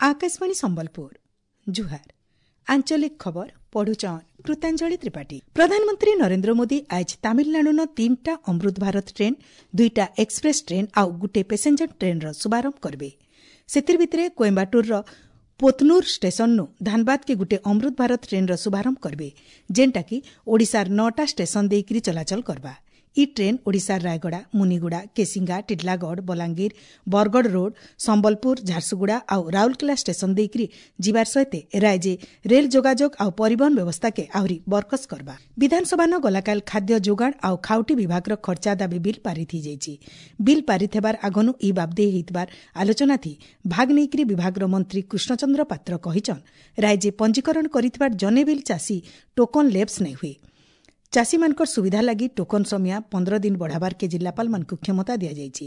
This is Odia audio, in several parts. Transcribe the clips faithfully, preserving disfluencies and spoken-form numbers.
Akashvani Sambalpur ଜୁହାର ଆଞ୍ଚଳିକ ଖବର ପଢୁଛନ୍ କୃତାଞ୍ଜଳି ତ୍ରିପାଠୀ ପ୍ରଧାନମନ୍ତ୍ରୀ ନରେନ୍ଦ୍ର ମୋଦି ଆଜ ତାମିଲନାଡୁନ ତିନିଟା ଅମୃତ ଭାରତ ଟ୍ରେନ୍ ଦୁଇଟା ଏକ୍ସପ୍ରେସ୍ ଟ୍ରେନ୍ ଆଉ ଗୁଟେ ପାସେଞ୍ଜର ଟ୍ରେନ୍ର ଶୁଭାରମ୍ଭ କରିବେ ସେଥିର୍ ଭିତରେ କୋଏମ୍ବାଟୁରର ପୋତନୁର ଷ୍ଟେସନନୁ ଧାନବାଦକେ ଗୁଟେ ଅମୃତ ଭାରତ ଟ୍ରେନ୍ର ଶୁଭାରମ୍ଭ କରିବେ ଯେନ୍ଟାକି ଓଡ଼ିଶାର ନଅଟା ଷ୍ଟେସନ ଦେଇକରି ଚଳାଚଳ କରବା ଇ ଟ୍ରେନ୍ ଓଡ଼ିଶାର ରାୟଗଡ଼ା ମୁନିଗୁଡ଼ା କେସିଙ୍ଗା ଟିଟଲାଗଡ଼ ବଲାଙ୍ଗୀର ବରଗଡ଼ ରୋଡ୍ ସମ୍ବଲପୁର ଝାରସୁଗୁଡ଼ା ଆଉ ରାଉରକେଲା ଷ୍ଟେସନ ଦେଇକରି ଯିବାର ସହିତ ରାଜ୍ୟ ରେଲ୍ ଯୋଗାଯୋଗ ଆଉ ପରିବହନ ବ୍ୟବସ୍ଥାକେ ଆହୁରି ବରକସ କରବା ବିଧାନସଭାନ ଗଲାକାଲ ଖାଦ୍ୟ ଯୋଗାଣ ଆଉ ଖାଉଟି ବିଭାଗର ଖର୍ଚ୍ଚା ଦାବି ବିଲ୍ ପାରିତ ହୋଇଯାଇଛି ବିଲ୍ ପାରିତ ହେବାର ଆଗନୁ ଇ ବାବଦେ ହେଇଥିବାର ଆଲୋଚନା ଥି ଭାଗ ନେଇକରି ବିଭାଗର ମନ୍ତ୍ରୀ କୃଷ୍ଣଚନ୍ଦ୍ର ପାତ୍ର କହିଛନ୍ ରାଜ୍ୟ ପଞ୍ଜୀକରଣ କରିଥିବାର ଜନେ ବିଲ୍ ଚାଷୀ ଟୋକନ ଲେପ୍ସ ନାଇଁ ହୁଏ ଚାଷୀମାନଙ୍କର ସୁବିଧା ଲାଗି ଟୋକନ ସମୟ ପନ୍ଦର ଦିନ ବଢ଼ାବାର୍କେ ଜିଲ୍ଲାପାଳମାନଙ୍କୁ କ୍ଷମତା ଦିଆଯାଇଛି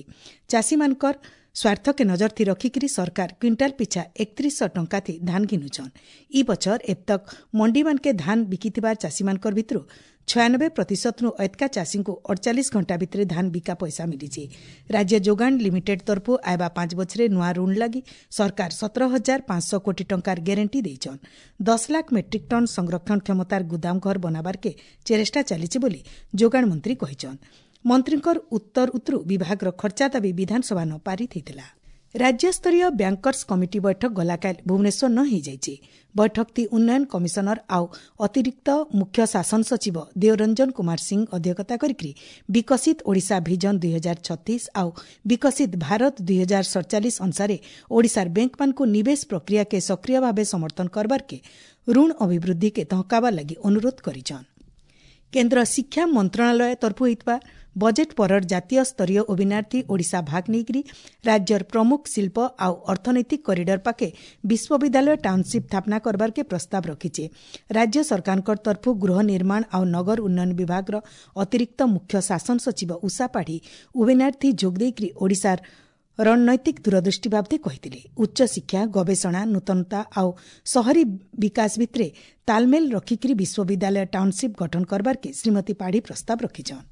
ଚାଷୀମାନଙ୍କର ସ୍ୱାର୍ଥକେ ନଜର ଥି ରଖିକିରି ସରକାର କ୍ୱିଣ୍ଟାଲ ପିଛା ଏକତିରିଶଶହ ଟଙ୍କା ଥି ଧାନ ଘିନୁଛନ୍ ଇ ବଛର ଏବତକ ମଣ୍ଡିମାନକେ ଧାନ ବିକିଥିବାର ଚାଷୀମାନଙ୍କର ଭିତରୁ ଛୟାନବେ ପ୍ରତିଶତରୁ ଏତକା ଚାଷୀଙ୍କୁ ଅଡ଼ଚାଳିଶ ଘଣ୍ଟା ଭିତରେ ଧାନ ବିକା ପଇସା ମିଳିଛି ରାଜ୍ୟ ଯୋଗାଣ ଲିମିଟେଡ୍ ତରଫରୁ ଆଇବା ପାଞ୍ଚ ବଛରେ ନୂଆ ଋଣ ଲାଗି ସରକାର ସତର ହଜାର ପାଞ୍ଚଶହ କୋଟି ଟଙ୍କାର ଗ୍ୟାରେଣ୍ଟି ଦେଇଛନ୍ ଦଶ ଲାଖ ମେଟ୍ରିକ୍ ଟନ୍ ସଂରକ୍ଷଣ କ୍ଷମତାର ଗୁଦାମ ଘର ବନାବାର୍କେ ଚେଷ୍ଟା ଚାଲିଛି ବୋଲି ଯୋଗାଣ ମନ୍ତ୍ରୀ କହିଛନ୍ ମନ୍ତ୍ରୀଙ୍କର ଉତ୍ତର ଉତ୍ତରୁ ବିଭାଗର ଖର୍ଚ୍ଚା ଦାବି ବିଧାନସଭାନ ପାରିତ ହୋଇଥିଲା ରାଜ୍ୟସ୍ତରୀୟ ବ୍ୟାଙ୍କର୍ସ କମିଟି ବୈଠକ ଗଲାକାଲି ଭୁବନେଶ୍ୱର ନ ହୋଇଯାଇଛି ବୈଠକଟି ଉନ୍ନୟନ କମିଶନର ଆଉ ଅତିରିକ୍ତ ମୁଖ୍ୟ ଶାସନ ସଚିବ ଦେଓରଞ୍ଜନ କୁମାର ସିଂ ଅଧ୍ୟକ୍ଷତା କରିକି ବିକଶିତ ଓଡ଼ିଶା ଭିଜନ ଦୁଇ ହଜାର ଛତିଶ ଆଉ ବିକଶିତ ଭାରତ ଦୁଇ ହଜାର ସଡ଼ଚାଳିଶ ଅନୁସାରେ ଓଡ଼ିଶାର ବ୍ୟାଙ୍କମାନଙ୍କୁ ନିବେଶ ପ୍ରକ୍ରିୟାକେ ସକ୍ରିୟ ଭାବେ ସମର୍ଥନ କରବାର୍କେ ଋଣ ଅଭିବୃଦ୍ଧିକେ ତହକାବାର ଲାଗି ଅନୁରୋଧ କରିଛନ୍ କେନ୍ଦ୍ର ଶିକ୍ଷା ମନ୍ତ୍ରଣାଳୟ ତରଫରୁ ହୋଇଥିବା ବଜେଟ୍ ପରର ଜାତୀୟ ସ୍ତରୀୟ ୱେବିନାରଥି ଓଡ଼ିଶା ଭାଗ ନେଇକରି ରାଜ୍ୟର ପ୍ରମୁଖ ଶିଳ୍ପ ଆଉ ଅର୍ଥନୈତିକ କରିଡର ପାଖେ ବିଶ୍ୱବିଦ୍ୟାଳୟ ଟାଉନସିପ୍ ସ୍ଥାପନା କରବାର୍କେ ପ୍ରସ୍ତାବ ରଖିଛେ ରାଜ୍ୟ ସରକାରଙ୍କ ତରଫରୁ ଗୃହ ନିର୍ମାଣ ଆଉ ନଗର ଉନ୍ନୟନ ବିଭାଗର ଅତିରିକ୍ତ ମୁଖ୍ୟ ଶାସନ ସଚିବ ଉଷା ପାଢ଼ୀ ୱେବିନାରଥି ଯୋଗ ଦେଇକରି ଓଡ଼ିଶାର ରଣନୈତିକ ଦୂରଦୃଷ୍ଟି ବାବଦେ କହିଥିଲେ ଉଚ୍ଚଶିକ୍ଷା ଗବେଷଣା ନୂତନତା ଆଉ ସହରୀ ବିକାଶ ଭିତରେ ତାଲମେଲ ରଖିକରି ବିଶ୍ୱବିଦ୍ୟାଳୟ ଟାଉନସିପ୍ ଗଠନ କରବାର୍କେ ଶ୍ରୀମତୀ ପାଢ଼ୀ ପ୍ରସ୍ତାବ ରଖିଛନ୍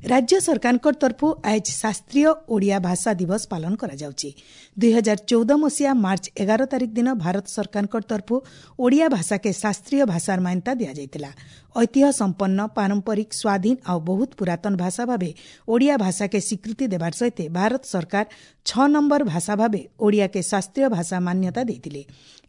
ରାଜ୍ୟ ସରକାରଙ୍କ ତରଫରୁ ଆଜ ଶାସ୍ତ୍ରୀୟ ଓଡ଼ିଆ ଭାଷା ଦିବସ ପାଳନ କରାଯାଉଛି ଦୁଇ ହଜାର ଚଉଦ ମସିହା ମାର୍ଚ୍ଚ ଏଗାର ତାରିଖ ଦିନ ଭାରତ ସରକାରଙ୍କ ତରଫରୁ ଓଡ଼ିଆ ଭାଷାକେ ଶାସ୍ତ୍ରୀୟ ଭାଷାର ମାନ୍ୟତା ଦିଆଯାଇଥିଲା ଐତିହ୍ୟ ସମ୍ପନ୍ନ ପାରମ୍ପରିକ ସ୍ୱାଧୀନ ଆଉ ବହୁତ ପୁରାତନ ଭାଷା ଭାବେ ଓଡ଼ିଆ ଭାଷାକେ ସ୍ୱୀକୃତି ଦେବାର ସହିତ ଭାରତ ସରକାର ଛଅ ନମ୍ବର ଭାଷା ଭାବେ ଓଡ଼ିଆକେ ଶାସ୍ତ୍ରୀୟ ଭାଷା ମାନ୍ୟତା ଦେଇଥିଲେ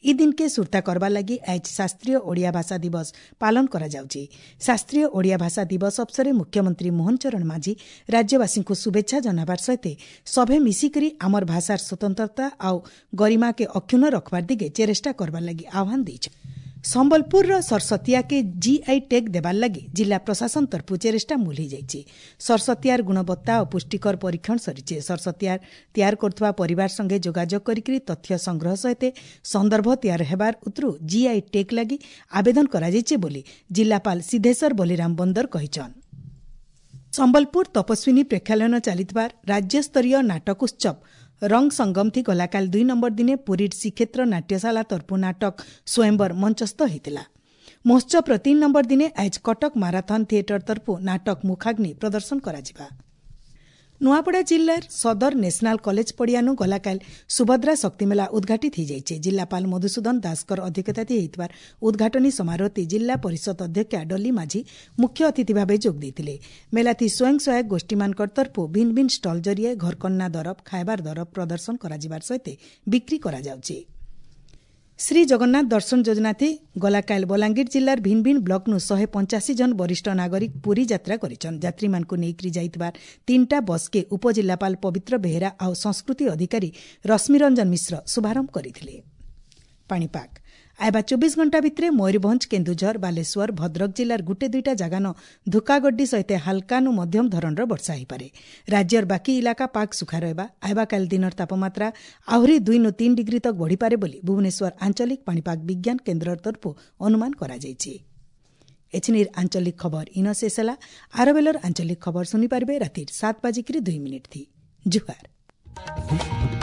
ଇ ଦିନକେ ସୁର୍ତ୍ତା କରବା ଲାଗି ଆଜ ଶାସ୍ତ୍ରୀୟ ଓଡ଼ିଆ ଭାଷା ଦିବସ ପାଳନ କରାଯାଉଛି ଶାସ୍ତ୍ରୀୟ ଓଡ଼ିଆ ଭାଷା ଦିବସ ଅବସରରେ ମୁଖ୍ୟମନ୍ତ୍ରୀ ମୋହନ ଚରଣ ମାଝୀ ରାଜ୍ୟବାସୀଙ୍କୁ ଶୁଭେଚ୍ଛା ଜଣାବାର ସହିତ ସଭେ ମିଶିକରି ଆମର ଭାଷାର ସ୍ୱତନ୍ତ୍ରତା ଆଉ ଗରିମାକେ ଅକ୍ଷୁଣ୍ଣ ରଖବାର ଦିଗେ ଚେଷ୍ଟା କରବାର ଲାଗି ଆହ୍ୱାନ ଦେଇଛନ୍ ସମ୍ବଲପୁରର ସରସତିଆକେ ଜିଆଇ ଟ୍ୟାଗ୍ ଦେବାର ଲାଗି ଜିଲ୍ଲା ପ୍ରଶାସନ ତରଫରୁ ଚେଷ୍ଟା ମୂଲ ହୋଇଯାଇଛି ସରସତିଆର ଗୁଣବତ୍ତା ଓ ପୁଷ୍ଟିକର ପରୀକ୍ଷଣ ସରିଛି ସରସତିଆର ତିଆର କରୁଥିବା ପରିବାର ସଙ୍ଗେ ଯୋଗାଯୋଗ କରିକି ତଥ୍ୟ ସଂଗ୍ରହ ସହିତ ସନ୍ଦର୍ଭ ତିଆର ହେବାର ଉତ୍ତରୁ ଜିଆଇ ଟ୍ୟାଗ୍ ଲାଗି ଆବେଦନ କରାଯାଇଛି ବୋଲି ଜିଲ୍ଲାପାଳ ସିଦ୍ଧେଶ୍ୱର ବଲିରାମ ବନ୍ଦର କହିଛନ୍ ସମ୍ବଲପୁର ତପସ୍ୱିନୀ ପ୍ରେକ୍ଷାଳୟନ ଚାଲିଥିବା ରାଜ୍ୟସ୍ତରୀୟ ନାଟକ ଉତ୍ସବ ରଙ୍ଗ ସଙ୍ଗମଥି ଗଲାକାଲି ଦୁଇ ନମ୍ବର ଦିନେ ପୁରୀର ଶ୍ରୀକ୍ଷେତ୍ର ନାଟ୍ୟଶାଳା ତରଫୁ ନାଟକ ସ୍ୱୟଂବର ମଞ୍ଚସ୍ଥ ହୋଇଥିଲା ମହୋତ୍ସବର ତିନି ନମ୍ବର ଦିନେ ଆଜ କଟକ ମାରାଥନ ଥିଏଟର ତରଫୁ ନାଟକ ମୁଖାଗ୍ନି ପ୍ରଦର୍ଶନ କରାଯିବା ନୂଆପଡ଼ା ଜିଲ୍ଲାର ସଦର ନ୍ୟାସନାଲ କଲେଜ ପଡ଼ିଆନୁ ଗଲାକାଲି ସୁଭଦ୍ରା ଶକ୍ତିମେଳା ଉଦ୍ଘାଟିତ ହୋଇଯାଇଛି ଜିଲ୍ଲାପାଳ ମଧୁସୂଦନ ଦାସଙ୍କର ଅଧ୍ୟକ୍ଷତାରେ ହୋଇଥିବା ଉଦ୍ଘାଟନୀ ସମାରୋହରେ ଜିଲ୍ଲା ପରିଷଦ ଅଧ୍ୟକ୍ଷା ଡଲି ମାଝୀ ମୁଖ୍ୟ ଅତିଥି ଭାବେ ଯୋଗ ଦେଇଥିଲେ ମେଲାଥି ସ୍ୱୟଂ ସହାୟକ ଗୋଷ୍ଠୀମାନଙ୍କର ତରଫରୁ ଭିନ୍ନ ଭିନ୍ନ ଷ୍ଟଲ୍ ଜରିଆରେ ଘରକନ୍ୟା ଦରବ ଖାଇବାର ଦରବ ପ୍ରଦର୍ଶନ କରାଯିବାର ସହିତ ବିକ୍ରି କରାଯାଉଛି ଶ୍ରୀ ଜଗନ୍ନାଥ ଦର୍ଶନ ଯୋଜନାଥି ଗଲାକାଲି ବଲାଙ୍ଗୀର ଜିଲ୍ଲାର ଭିନ୍ନ ଭିନ୍ନ ବ୍ଲକନୁ ଶହେ ପଞ୍ଚାଅଶୀ ଜଣ ବରିଷ୍ଠ ନାଗରିକ ପୁରୀ ଯାତ୍ରା କରିଛନ୍ ଯାତ୍ରୀମାନଙ୍କୁ ନେଇକରି ଯାଇଥିବା ତିନିଟା ବସ୍କେ ଉପଜିଲ୍ଲାପାଳ ପବିତ୍ର ବେହେରା ଆଉ ସଂସ୍କୃତି ଅଧିକାରୀ ରଶ୍ମିରଞ୍ଜନ ମିଶ୍ର ଶୁଭାରମ୍ଭ କରିଥିଲେ ପାଣିପାଗ ଆଇବା ଚବିଶ ଘଣ୍ଟା ଭିତରେ ମୟୂରଭଞ୍ଜ କେନ୍ଦୁଝର ବାଲେଶ୍ୱର ଭଦ୍ରକ ଜିଲ୍ଲାର ଗୁଟେ ଦୁଇଟା ଜାଗାନ ଧୁକାଗଡ୍ଡି ସହିତ ହାଲକାନୁ ମଧ୍ୟମ ଧରଣର ବର୍ଷା ହୋଇପାରେ ରାଜ୍ୟର ବାକି ଇଲାକା ପାଗ ଶୁଖା ରହିବା ଆଇବାକାଲି ଦିନର ତାପମାତ୍ରା ଆହୁରି ଦୁଇନୁ ତିନି ଡିଗ୍ରୀ ତକ ବଢ଼ିପାରେ ବୋଲି ଭୁବନେଶ୍ୱର ଆଞ୍ଚଳିକ ପାଣିପାଗ ବିଜ୍ଞାନ କେନ୍ଦ୍ର ତରଫରୁ ଅନୁମାନ କରାଯାଇଛି ଏଛିନିର ଆଞ୍ଚଳିକ ଖବର ଇନ ଶେଷ ହେଲା ଆରବେଲର ଆଞ୍ଚଳିକ ଖବର ଶୁଣିପାରିବେ ରାତିର ସାତ ବାଜିକିରି ଦୁଇ ମିନିଟ୍ ଥି ଜୁହାର।